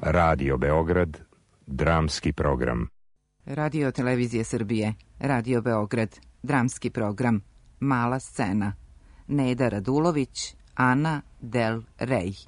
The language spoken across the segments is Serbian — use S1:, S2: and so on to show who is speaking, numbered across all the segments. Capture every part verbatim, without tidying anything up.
S1: Radio Beograd, dramski program.
S2: Radio Televizije Srbije, Radio Beograd, dramski program, Mala scena. Neda Radulović, Ana Del Rey.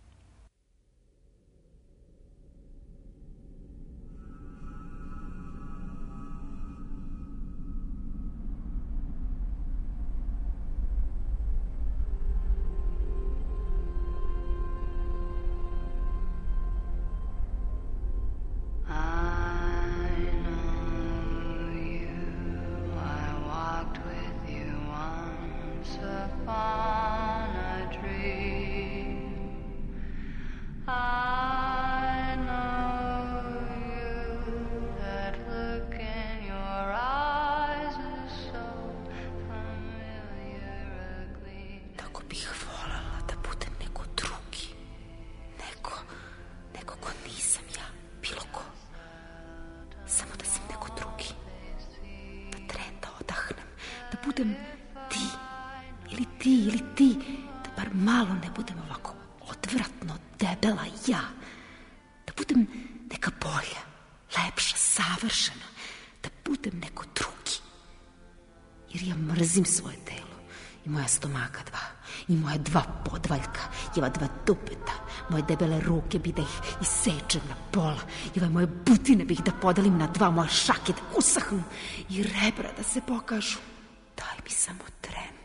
S3: budem ti, ili ti, ili ti, da bar malo ne budem ovako odvratno debela ja, da budem neka bolja, lepša, savršena, da budem neko drugi. Jer ja mrzim svoje telo i moja stomaka dva, i moja dva podvaljka, i ova dva dupeta, moje debele ruke bi da ih isečem na pola, i ove moje butine bih da podelim na dva, moje šake da usahnu i rebra da se pokažu. Daj mi samo tren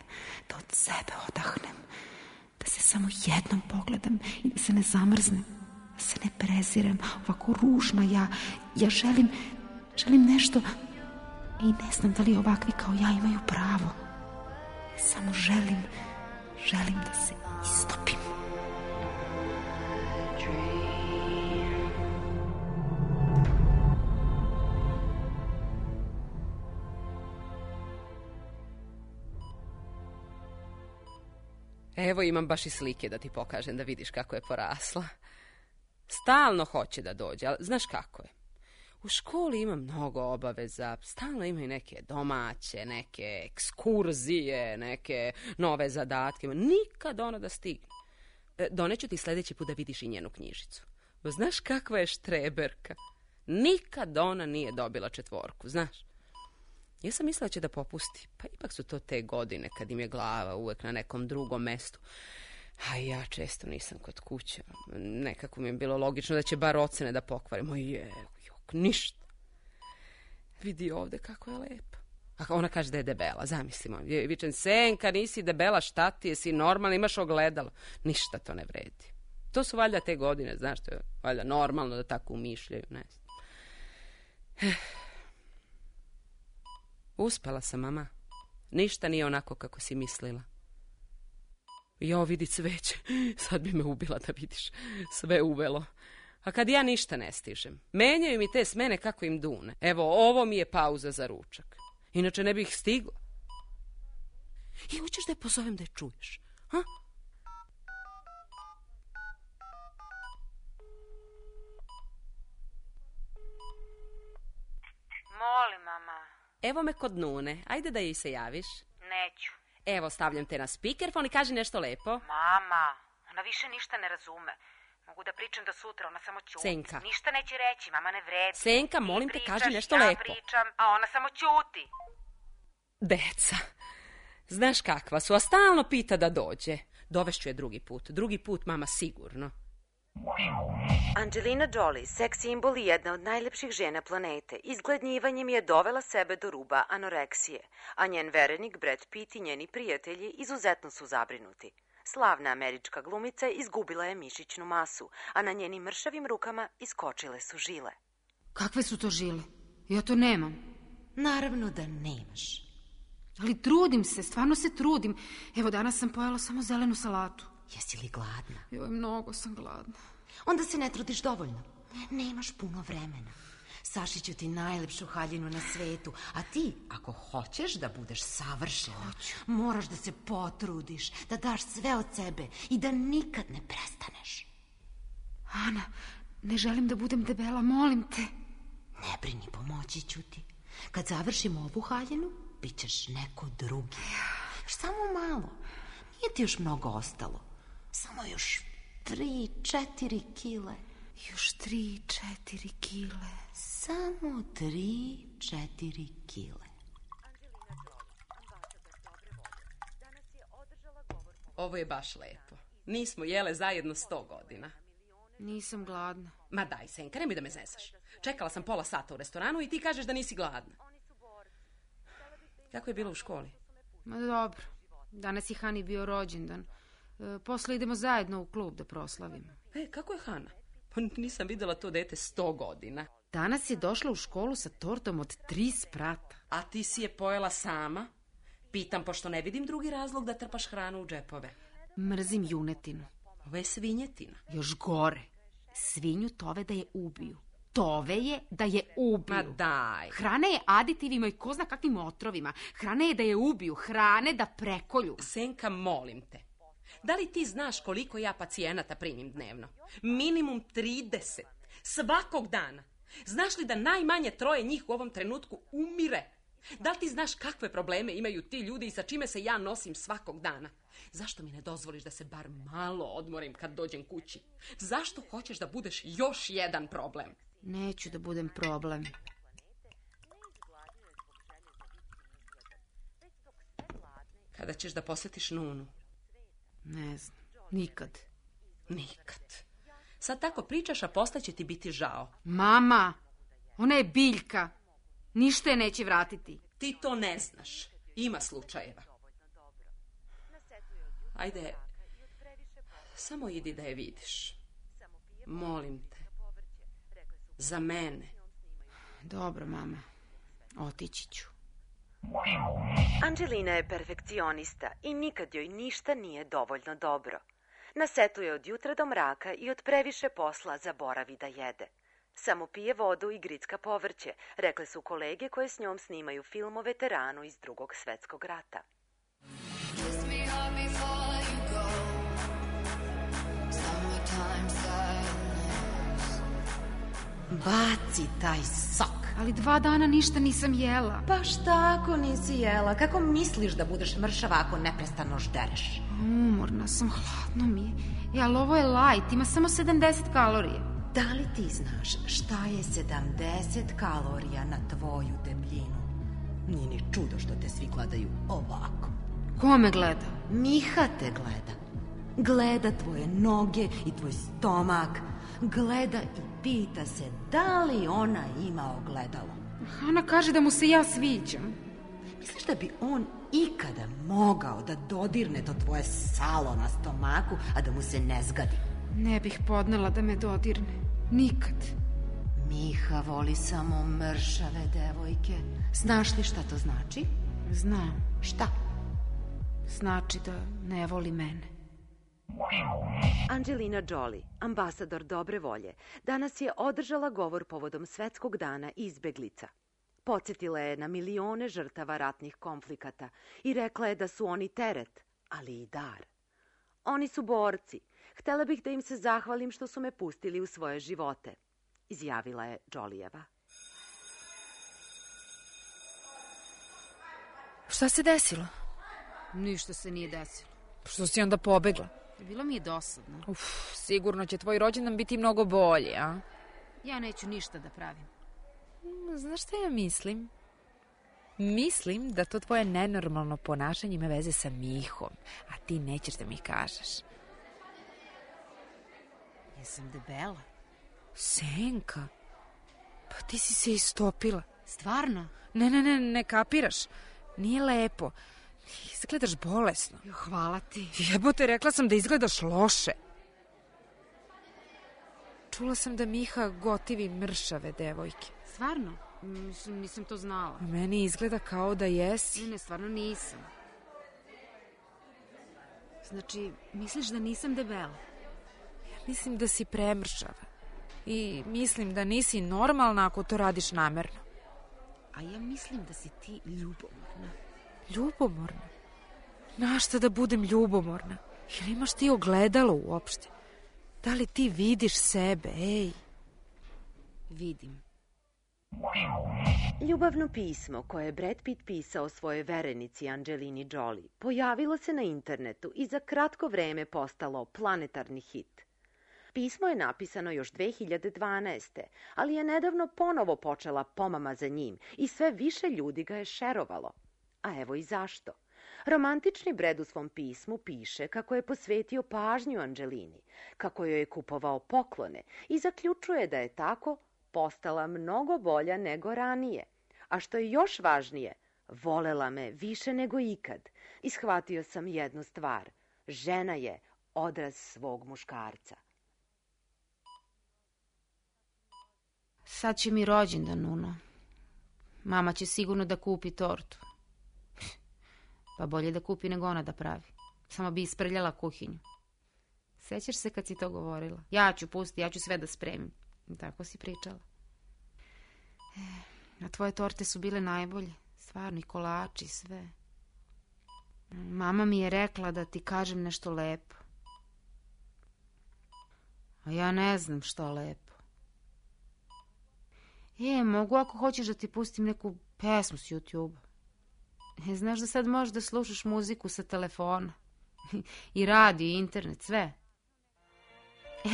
S3: da od sebe odahnem, da se samo jednom pogledam i da se ne zamrznem, da se ne prezirem, ovako ružna ja. Ja želim, želim nešto i ne znam da li ovakvi kao ja imaju pravo. Ja samo želim, želim da se istopim.
S4: Evo imam baš i slike da ti pokažem da vidiš kako je porasla. Stalno hoće da dođe, ali znaš kako je. U školi ima mnogo obaveza, stalno ima i neke domaće, neke ekskurzije, neke nove zadatke. Nikad ona da stigne. Doneću ti sljedeći put da vidiš i njenu knjižicu. Znaš kakva je štreberka? Nikad ona nije dobila četvorku, znaš. Ja sam mislila će da popusti, pa ipak su to te godine kad im je glava uvek na nekom drugom mestu. A ja često nisam kod kuće. Nekako mi je bilo logično da će bar ocene da pokvarimo. Je, jok, ništa. Vidi ovde kako je lepa. A ona kaže da je debela, zamislimo. Vičem, Senka, nisi debela, šta ti, jesi normalno, imaš ogledalo. Ništa to ne vredi. To su valjda te godine, znaš, to je valjda normalno da tako umišljaju, ne znam. Uspela sam, mama. Ništa nije onako kako si mislila. Jo, vidi cveće. Sad bi me ubila da vidiš. Sve uvelo. A kad ja ništa ne stižem, menjaju mi te smene kako im dune. Evo, ovo mi je pauza za ručak. Inače ne bih stigla. I hoćeš da je pozovem da je čuješ? Ha?
S5: Molim, mama.
S4: Evo me kod Nune. Ajde da jej se javiš.
S5: Neću.
S4: Evo, stavljam te na spikerfon i kaži nešto lepo.
S5: Mama, ona više ništa ne razume. Mogu da pričam do sutra, ona samo ćuti.
S4: Senka.
S5: Ništa neće reći, mama ne vredi.
S4: Senka, molim te, kaži nešto lepo.
S5: Ja pričam, a ona samo ćuti.
S4: Deca. Znaš kakva su, a stalno pita da dođe. Dovešću je drugi put. Drugi put, mama, sigurno.
S5: Angelina Jolie, seks simbol i jedna od najlepših žena planete, izgladnjivanjem je dovela sebe do ruba anoreksije, a njen verenik Brad Pitt i njeni prijatelji izuzetno su zabrinuti. Slavna američka glumica izgubila je mišićnu masu, a na njenim mršavim rukama iskočile su žile.
S3: Kakve su to žile? Ja to nemam.
S5: Naravno da nemaš.
S3: Ali trudim se, stvarno se trudim. Evo, danas sam pojela samo zelenu salatu.
S5: Jesi li gladna?
S3: Joj, mnogo sam gladna.
S5: Onda se ne trudiš dovoljno. Nemaš puno vremena. Sašiću ti najlepšu haljinu na svetu, a ti, ako hoćeš da budeš savršena, Hoću. moraš da se potrudiš, da daš sve od sebe i da nikad ne prestaneš.
S3: Ana, ne želim da budem debela, molim te.
S5: Ne brini, pomoći ću ti. Kad završimo ovu haljinu, bit ćeš neko drugi. Samo malo. Nije ti još mnogo ostalo. Samo još tri, četiri kile.
S3: Još tri, četiri kile.
S5: Samo tri, četiri kile.
S4: Ovo je baš lepo. Nismo jele zajedno sto godina.
S3: Nisam gladna.
S4: Ma daj, Senka, nemoj da me zezaš. Čekala sam pola sata u restoranu i ti kažeš da nisi gladna. Kako je bilo u školi?
S3: Ma dobro. Danas je Hani bio rođendan. E, posle idemo zajedno u klub da proslavimo.
S4: E, kako je Hana? Pa nisam videla to dete sto godina.
S3: Danas je došla u školu sa tortom od tri sprata.
S4: A ti si je pojela sama? Pitam, pošto ne vidim drugi razlog da trpaš hranu u džepove.
S3: Mrzim junetinu.
S4: Ovo je svinjetina.
S3: Još gore. Svinju tove da je ubiju. Tove je da je ubiju.
S4: Ma daj.
S3: Hrana je aditivima i ko zna kakvim otrovima. Hrana je da je ubiju. Hrane da prekolju.
S4: Senka, molim te. Da li ti znaš koliko ja pacijenata primim dnevno? Minimum trideset. Svakog dana. Znaš li da najmanje troje njih u ovom trenutku umire? Da li ti znaš kakve probleme imaju ti ljudi i sa čime se ja nosim svakog dana? Zašto mi ne dozvoliš da se bar malo odmorim kad dođem kući? Zašto hoćeš da budeš još jedan problem?
S3: Neću da budem problem.
S4: Kada ćeš da posjetiš Nunu?
S3: Ne znam, nikad.
S4: Nikad. Sad tako pričaš, a posle će ti biti žao.
S3: Mama, ona je biljka. Ništa je neće vratiti.
S4: Ti to ne znaš. Ima slučajeva. Ajde, samo idi da je vidiš. Molim te. Za mene.
S3: Dobro, mama. Otići ću.
S5: Anđelina je perfekcionista i nikad joj ništa nije dovoljno dobro. Na setu je od jutra do mraka i od previše posla zaboravi da jede. Samo pije vodu i gricka povrće, rekle su kolege koje s njom snimaju film o veteranu iz Drugog svetskog rata.
S6: Baci taj sok.
S3: Ali dva dana ništa nisam jela.
S6: Baš tako nisi jela. Kako misliš da budeš mršava ako neprestano ždereš?
S3: Umorna sam, hladno mi je. E, ali ovo je light, ima samo sedamdeset kalorija.
S6: Da li ti znaš šta je sedamdeset kalorija na tvoju debljinu? Nije ni čudo što te svi gledaju ovako.
S3: Ko me gleda?
S6: Miha te gleda. Gleda tvoje noge i tvoj stomak. Gleda i pita se da li ona ima ogledalo.
S3: Hana kaže da mu se ja sviđam.
S6: Misliš da bi on ikada mogao da dodirne to tvoje salo na stomaku, a da mu se ne zgadi?
S3: Ne bih podnela da me dodirne. Nikad.
S6: Miha voli samo mršave devojke. Znaš li šta to znači?
S3: Znam.
S6: Šta?
S3: Znači da ne voli mene.
S5: Angelina Jolie, ambasador dobre volje, danas je održala govor povodom Svetskog dana izbeglica. Podsjetila je na milione žrtava ratnih konflikata i rekla je da su oni teret, ali i dar. Oni su borci. Htela bih da im se zahvalim što su me pustili u svoje živote, izjavila je Jolieva.
S7: Šta se desilo?
S3: Ništa se nije desilo.
S7: Što si onda pobegla?
S3: Bilo mi je dosadno.
S7: Uf, sigurno će tvoj rođendan biti mnogo bolji, a?
S3: Ja neću ništa da pravim.
S7: Znaš šta ja mislim? Mislim da to tvoje nenormalno ponašanje ima veze sa Mihom, a ti nećeš da mi kažeš.
S3: Jesam debela.
S7: Senka, pa ti si se istopila.
S3: Stvarno?
S7: Ne, ne, ne, ne kapiraš. Nije lepo. Izgledaš bolesno.
S3: Hvala ti.
S7: Jebote, rekla sam da izgledaš loše. Čula sam da Miha gotivi mršave devojke.
S3: Stvarno? Mislim, nisam to znala.
S7: A meni izgleda kao da jesi.
S3: Ne, ne, stvarno nisam. Znači, misliš da nisam debela?
S7: Ja mislim da si premršava. I mislim da nisi normalna ako to radiš namerno.
S3: A ja mislim da si ti ljubomorna.
S7: Ljubomorna? Na šta da budem ljubomorna? Jer imaš ti ogledalo uopšte? Da li ti vidiš sebe, ej?
S3: Vidim.
S5: Ljubavno pismo koje je Brad Pitt pisao svojoj verenici Angelini Jolie pojavilo se na internetu i za kratko vreme postalo planetarni hit. Pismo je napisano još dve hiljade dvanaeste. ali je nedavno ponovo počela pomama za njim i sve više ljudi ga je šerovalo. A evo i zašto. Romantični Brad u svom pismu piše kako je posvetio pažnju Angelini, kako joj je kupovao poklone i zaključuje da je tako postala mnogo bolja nego ranije. A što je još važnije, volela me više nego ikad. I shvatio sam jednu stvar. Žena je odraz svog muškarca.
S3: Sad će mi rođendan, Nuno. Mama će sigurno da kupi tortu. Pa bolje da kupi nego ona da pravi. Samo bi isprljala kuhinju. Sećaš se kad si to govorila? Ja ću pusti, ja ću sve da spremim. Tako si pričala. A tvoje torte su bile najbolje. Stvarno, i kolači, sve. Mama mi je rekla da ti kažem nešto lepo. A ja ne znam što lepo. E, mogu ako hoćeš da ti pustim neku pesmu s YouTube-a. E, znaš da sad možeš da slušaš muziku sa telefona. I radio, i internet, sve.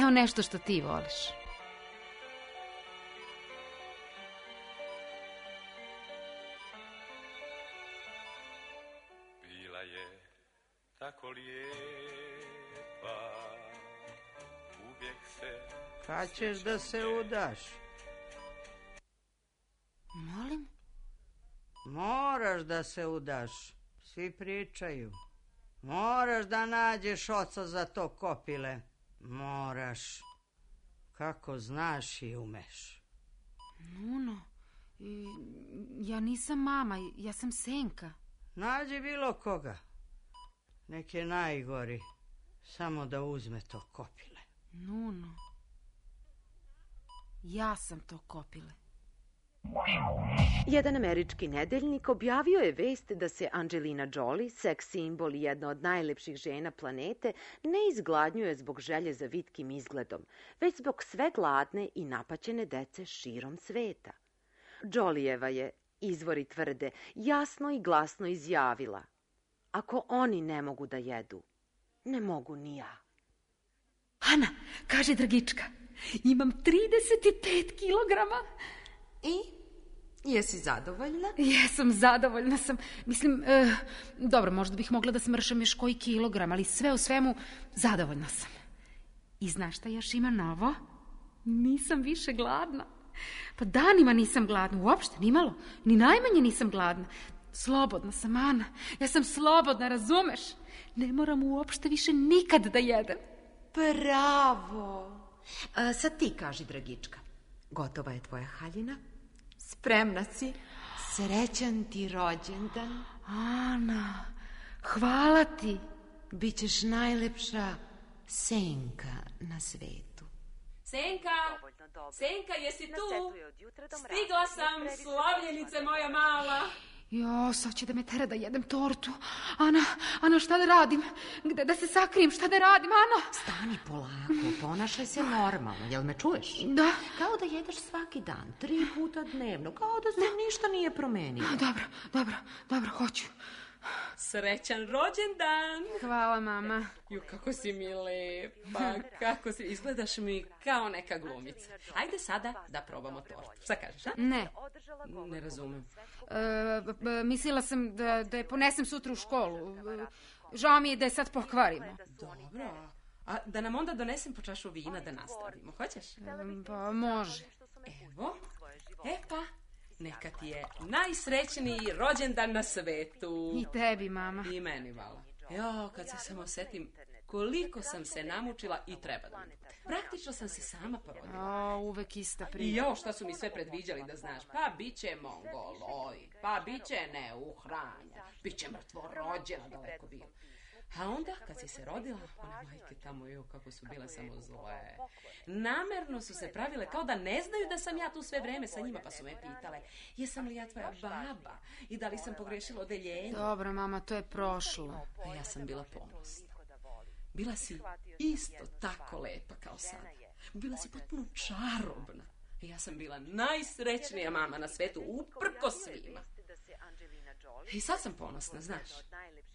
S3: Evo nešto što ti voliš.
S8: Bila je tako lijepa, uvijek se...
S9: Kad ćeš da se udaš?
S3: Molim?
S9: Moraš da se udaš. Svi pričaju. Moraš da nađeš oca za to kopile. Moraš. Kako znaš i umeš.
S3: Nuno, ja nisam mama, ja sam Senka.
S9: Nađi bilo koga. Nek je najgori. Samo da uzme to kopile.
S3: Nuno, ja sam to kopile.
S5: Jedan američki nedeljnik objavio je vest da se Angelina Jolie, seks simbol i jedna od najlepših žena planete, ne izgladnjuje zbog želje za vitkim izgledom, već zbog sve gladne i napaćene dece širom sveta. Jolieva je, izvori tvrde, jasno i glasno izjavila: ako oni ne mogu da jedu, ne mogu ni ja.
S3: Ana, kaže Dragička, imam trideset pet kilograma.
S2: I? Jesi zadovoljna?
S3: Jesam, zadovoljna sam. Mislim, e, dobro, možda bih mogla da smršam još koji kilogram, ali sve u svemu zadovoljna sam. I znaš šta još ima novo? Nisam više gladna. Pa danima nisam gladna, uopšte, ni malo. Ni najmanje nisam gladna. Slobodna sam, Ana. Ja sam slobodna, razumeš? Ne moram uopšte više nikad da jedem.
S2: Bravo! A, sad ti kaži, Dragička. Gotova je tvoja haljina? Spremna si? Srećan ti rođendan.
S3: Ana, hvala ti.
S2: Bićeš najlepša Senka na svetu.
S4: Senka, Senka, jesi tu? Stigla sam, slavljenice moja mala.
S3: Jo, sad će da me tera da jedem tortu. Ana, Ana, šta da radim? Gde da se sakrijem, šta da radim, Ana?
S6: Stani polako, ponašaj se normalno, jel me čuješ?
S3: Da.
S6: Kao da jedeš svaki dan, tri puta dnevno, kao da se da. ništa nije promenilo.
S3: Dobro, dobro, dobro, hoću.
S4: Srećan rođendan.
S3: Hvala, mama.
S4: Ju, kako si mi lepa, kako si, izgledaš mi kao neka glumica. Ajde sada da probamo tortu. Šta kažeš, a?
S3: Ne.
S4: Ne razumem.
S3: E, b, mislila sam da, da je ponesem sutra u školu. Žao mi je da je sad pokvarimo.
S4: Dobro. A da nam onda donesem po čašu vina da nastavimo, hoćeš?
S3: E, pa može.
S4: Evo, e pa. Neka ti je najsrećniji rođendan na svetu.
S3: I tebi, mama.
S4: I meni, vala. Jo, kad se samo setim koliko sam se namučila i treba da mi bude. Praktično sam se sama porodila.
S3: O, uvek ista priča.
S4: I jo, šta su mi sve predviđali da znaš. Pa bit će mongoloid, pa bit će neuhranja, bit će mrtvo rođena, daleko bilo. A onda, kad si se rodila, one majke tamo, jo, kako su bile samo zle. Namerno su se pravile kao da ne znaju da sam ja tu sve vreme sa njima, pa su me pitale, jesam li ja tvoja baba i da li sam pogrešila odeljenje.
S3: Dobro, mama, to je prošlo.
S4: A ja sam bila ponosna. Bila si isto tako lepa kao sada. Bila si potpuno čarobna. I ja sam bila najsrećnija mama na svetu, uprko svima. I sad sam ponosna, znaš.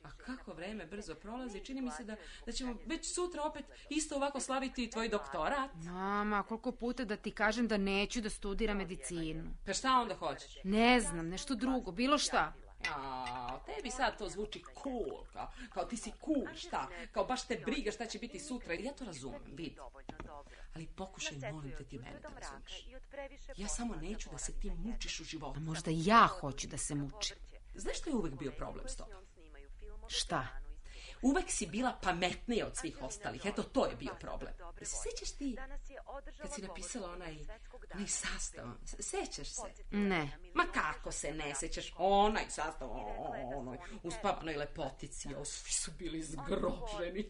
S4: A kako vreme brzo prolazi, čini mi se da, da ćemo već sutra opet isto ovako slaviti tvoj doktorat.
S7: Mama, koliko puta da ti kažem da neću da studiram medicinu.
S4: Pa šta onda hoćeš?
S7: Ne znam, nešto drugo, bilo šta.
S4: A, tebi sad to zvuči cool, kao, kao ti si cool, šta? Kao baš te briga šta će biti sutra. Ja to razumem, vidi. Ali pokušaj, molim te, ti mene da razumeš. Ja samo neću da se ti mučiš u životu.
S7: A možda ja hoću da se mučim.
S4: Znaš što je uvek bio problem s tobom?
S7: Šta?
S4: Uvek si bila pametnija od svih ostalih. Eto, to je bio problem. Se sećaš ti kad si napisala onaj, onaj sastav? Sećaš se?
S7: Ne.
S4: Ma kako se ne sećaš? Onaj sastav, onoj uspavanoj lepotici. O, svi su bili zgroženi.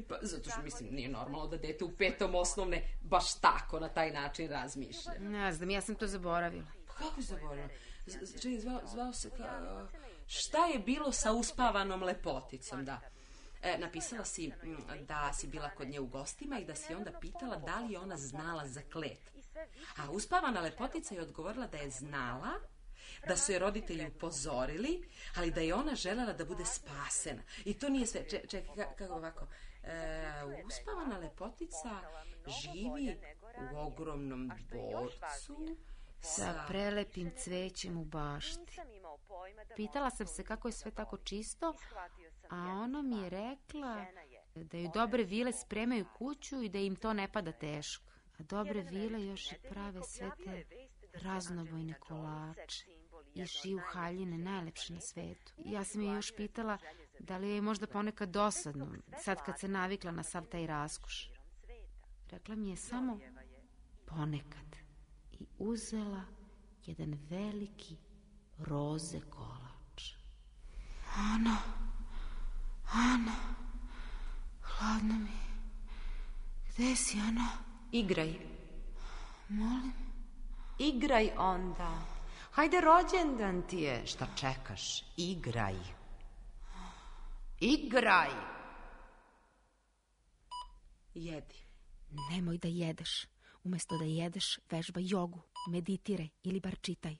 S4: Pa, zato što, mislim, nije normalno da dete u petom osnovne baš tako na taj način razmišlja.
S7: Ne znam, ja sam to zaboravila.
S4: Pa kako zaboravila? Čekaj, zvao, zvao se kao... Šta je bilo sa uspavanom lepoticom, da? E, napisala si da si bila kod nje u gostima i da si onda pitala da li je ona znala za kletvu. A uspavana lepotica je odgovorila da je znala, da su je roditelji upozorili, ali da je ona želela da bude spasena. I to nije sve. Čekaj, čekaj, kako ovako? E, uspavana lepotica živi u ogromnom dvorcu
S7: sa prelepim cvećem u bašti. Pitala sam se kako je sve tako čisto, a ona mi je rekla da joj dobre vile spremaju kuću i da im to ne pada teško. A dobre vile još i prave sve te raznobojne kolače i šiju haljine najlepše na svetu. Ja sam je još pitala da li je možda ponekad dosadno, sad kad se navikla na sav taj raskoš. Rekla mi je samo ponekad i uzela jedan veliki roze kolač. Ana, Ana, hladno mi. Gde si, Ana?
S2: Igraj.
S7: Molim?
S2: Igraj onda. Hajde, rođendan ti je. Šta čekaš? Igraj. Igraj.
S4: Jedi.
S3: Nemoj da jedeš. Umesto da jedeš, vežba jogu, meditiraj ili bar čitaj.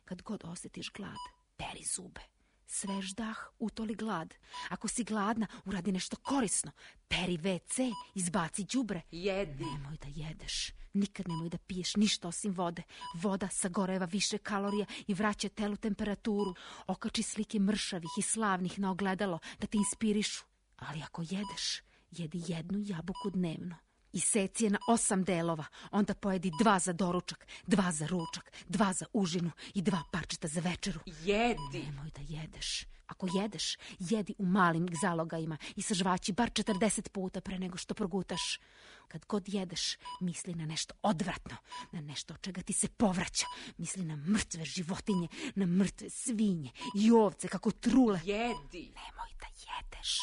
S3: Kad god osjetiš glad, peri zube. Svež dah, utoli glad. Ako si gladna, uradi nešto korisno. Peri ve ce, izbaci đubre.
S4: Jedi.
S3: Nemoj da jedeš. Nikad nemoj da piješ ništa osim vode. Voda sagoreva više kalorija i vraća telu temperaturu. Okači slike mršavih i slavnih na ogledalo da te inspirišu. Ali ako jedeš, jedi jednu jabuku dnevno. Iseci je na osam delova, onda pojedi dva za doručak, dva za ručak, dva za užinu i dva parčeta za večeru.
S4: Jedi!
S3: Nemoj da jedeš. Ako jedeš, jedi u malim zalogajima i sažvaći bar četrdeset puta pre nego što progutaš. Kad god jedeš, misli na nešto odvratno, na nešto od čega ti se povraća. Misli na mrtve životinje, na mrtve svinje i ovce kako trule.
S4: Jedi!
S3: Nemoj da jedeš.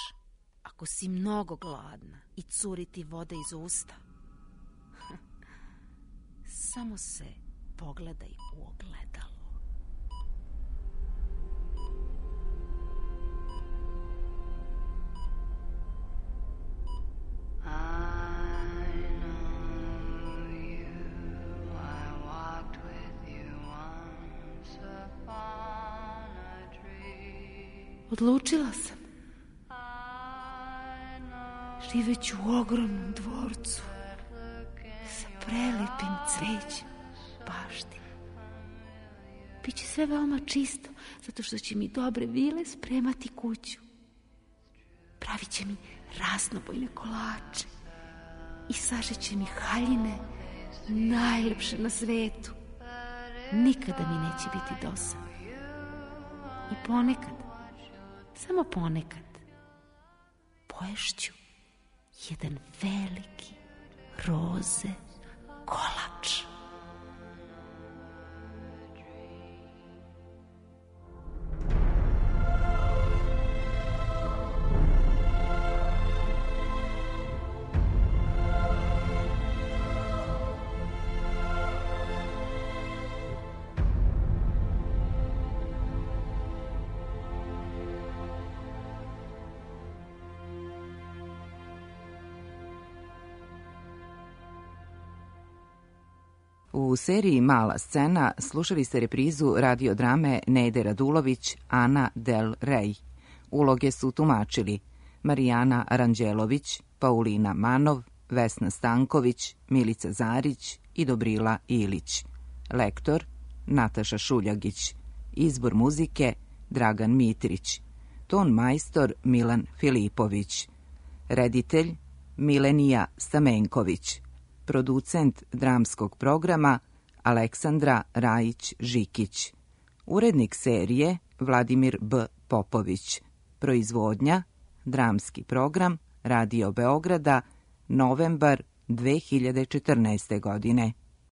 S3: Ako si mnogo gladna i curi ti voda iz usta, samo se pogledaj u ogledalo. Odlučila sam. Živeću u ogromnom dvorcu sa prelepim cvećem bašti. Biće sve veoma čisto, zato što će mi dobre vile spremati kuću. Pravit će mi raznobojne kolače i sažeće mi haljine najlepše na svetu. Nikada mi neće biti dosadno. I ponekad, samo ponekad, poješću jedan veliki roze kolač.
S10: U seriji Mala scena slušali ste reprizu radiodrame Nede Radulović Ana del Rey. Uloge su tumačili Marijana Aranđelović, Paulina Manov, Vesna Stanković, Milica Zarić i Dobrila Ilić. Lektor Nataša Šuljagić. Izbor muzike Dragan Mitrić. Ton majstor Milan Filipović. Reditelj Milenija Stamenković. Producent dramskog programa Aleksandra Rajić-Žikić. Urednik serije Vladimir B. Popović. Proizvodnja dramski program Radio Beograda, novembar dve hiljade četrnaeste. godine.